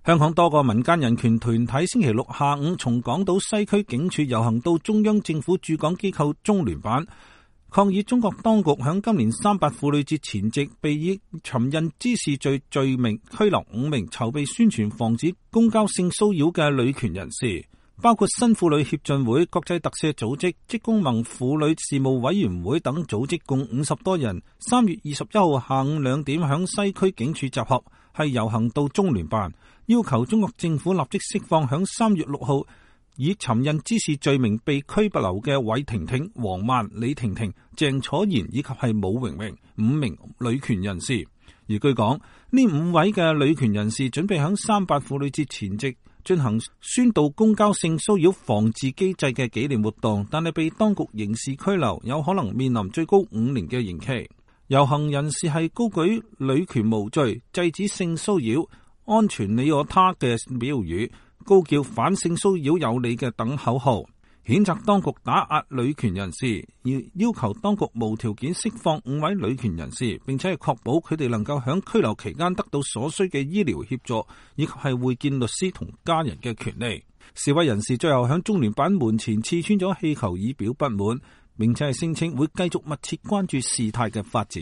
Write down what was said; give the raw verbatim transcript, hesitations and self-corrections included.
香港多個民間人權團體星期六下午從港島西區警署遊行到中央政府駐港機構中聯辦，抗議中國當局響今年三八婦女節前夕，被以尋釁滋事罪罪名拘留五名籌備宣傳防止公交性騷擾嘅女權人士，包括新婦女協進會、國際特赦組織、職工盟婦女事務委員會等組織，共五十多人，三月二十一號下午兩點響西區警署集合，係遊行到中聯辦，要求中國政府立即釋放響三月六號以尋釁滋事罪名被拘捕留嘅韋婷婷、黃曼、李婷婷、鄭楚賢以及係武榮榮五名女權人士。而據講，呢五位嘅女權人士準備響三八婦女節前夕進行宣導公交性騷擾防治機制嘅紀念活動，但係被當局刑事拘留，有可能面臨最高五年嘅刑期。遊行人士係高舉女權無罪、制止性騷擾、安全你我他嘅標語，高叫反性騷擾有理嘅等口號，譴責當局打壓女權人士，而要求當局無條件釋放五位女權人士，並且係確保佢哋能夠喺拘留期間得到所需嘅醫療協助，以及係會見律師同家人嘅權利。示威人士最後喺中聯辦門前刺穿咗氣球以表不滿，並且係聲稱會繼續密切關注事態嘅發展。